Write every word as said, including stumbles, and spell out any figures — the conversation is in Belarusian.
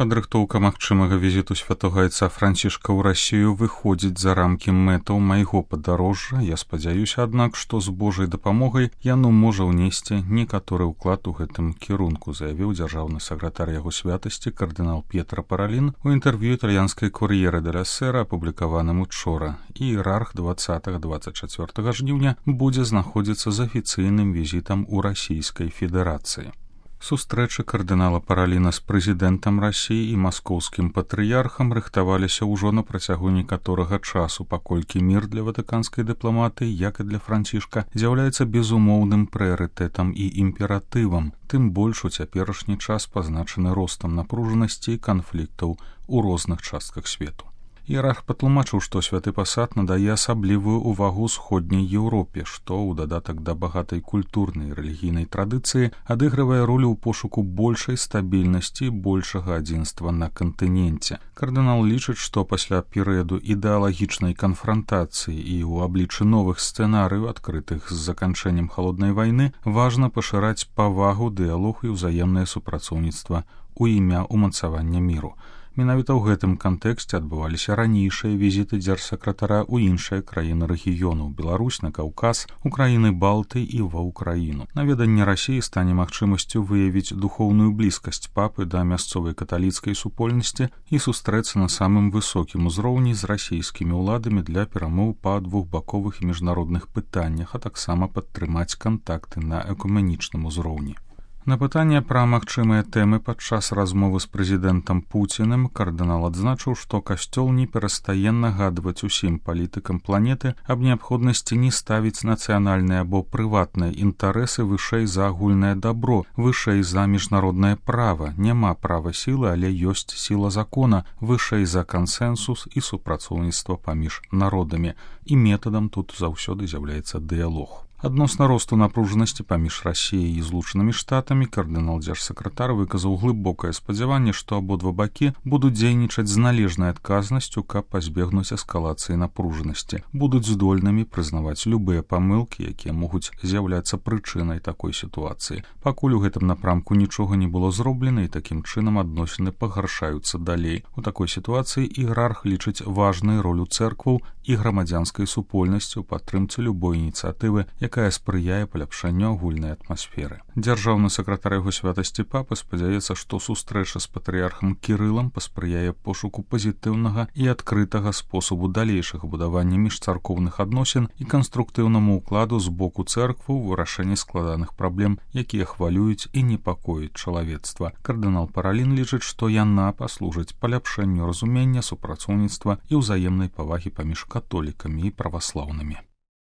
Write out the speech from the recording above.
Падрыхтоўка магчымага візіту святога айца Францішка ў Расію выходзіць за рамкі мэтаў майго падарожжа. Я спадзяюся, аднак, што з Божай дапамогай яно можа ўнесці некаторы ўклад у гэтым кірунку, заявіў дзяржаўны сакратар яго святасці кардынал П'етра Паралін у інтэрв'ю італьянскай Кор'ерэ деля Сера, апублікаваным учора. Іерарх дваццатага - дваццаць чацвёртага жніўня будзе знаходзіцца з афіцыйным візітам у Расійскай Федэрацыі. Сустрэчы кардынала Параліна з прэзідэнтам Расіі і маскоўскім патрыярхам рыхтаваліся ўжо на працягу некаторага часу, паколькі мір для ватыканскай дыпламатыі, як і для Францішка, з'яўляецца безумоўным прыярытэтам і імператывам, тым больш у цяперашні час пазначаны ростам напружанасці і канфліктаў у розных частках свету. Іерарх патлумачыў, што святы пасад надае асаблівую ўвагу ўсходняй Еўропе, што ў дадатак да багатай культурнай і рэлігійнай традыцыі адыгрывае ролю ў пошуку большай стабільнасці і большага адзінства на кантыненце. Кардынал лічыць, што пасля перыяду ідэалагічнай канфрантацыі і ў абліччы новых сцэнарыяў, адкрытых з заканчэннем халоднай вайны, важна пашыраць павагу, дыялог і ўзаемнае супрацоўніцтва ў імя ўмацавання міру. Менавіта ў гэтым кантэксце адбываліся ранейшыя візіты дзяржсакратара ў іншыя краіны рэгіёну, Беларусь, на Каўказ, у краіны Балты і ва ўкраіну. Наведанне Расіі стане магчымасцю выявіць духоўную блізкасць папы да мясцовай каталіцкай супольнасці і сустрэцца на самым высокім узроўні з расійскімі ўладамі для перамоў па двухбаковых і міжнародных пытаннях, а таксама падтрымаць кантакты на экуменічным узроўні. На пытанне пра магчымыя тэмы падчас размовы з прэзідэнтам Пуціным кардынал адзначыў, што касцёл не перастае нагадваць усім палітыкам планеты аб неабходнасці не ставіць нацыянальныя або прыватныя інтарэсы вышэй за агульнае дабро, вышэй за міжнароднае права. Няма права сілы, але ёсць сіла закона, вышэй за кансэнсус і супрацоўніцтва паміж народамі. І метадам тут заўсёды з'яўляецца дыялог. Адносна росту напружанасці паміж Расіяй і Злучанымі Штатамі кардынал дзяржсакратар выказаў глыбокае спадзяванне, што абодва бакі будуць дзейнічаць з належнай адказнасцю, каб пазбегнуць эскалацыі напружанасці, будуць здольнымі прызнаваць любыя памылкі, якія могуць з'яўляцца прычынай такой сітуацыі. Пакуль у гэтым напрамку нічога не было зроблена, і такім чынам адносіны пагаршаюцца далей. У такой сітуацыі іерарх лічыць важнай ролю цэркваў і грамадзянскай супольнасці ў падтрымцы любой ініцыятывы, якая спрыяе паляпшанню агульнай атмасферы. Дзяржаўны сакратар яго святасці папы спадзяецца, што сустрэча з патрыярхам Кірылам паспрыяе пошуку пазітыўнага і адкрытага спосабу далейшага будавання міжцаркоўных адносін і канструктыўнаму ўкладу з боку цэрквы ў вырашэнні складаных праблем, якія хвалююць і непакояць чалавецтва. Кардынал Паралін лічыць, што яна паслужыць паляпшэнню разумення, супрацоўніцтва і ўзаемнай павагі паміж католікамі і праваслаўнымі.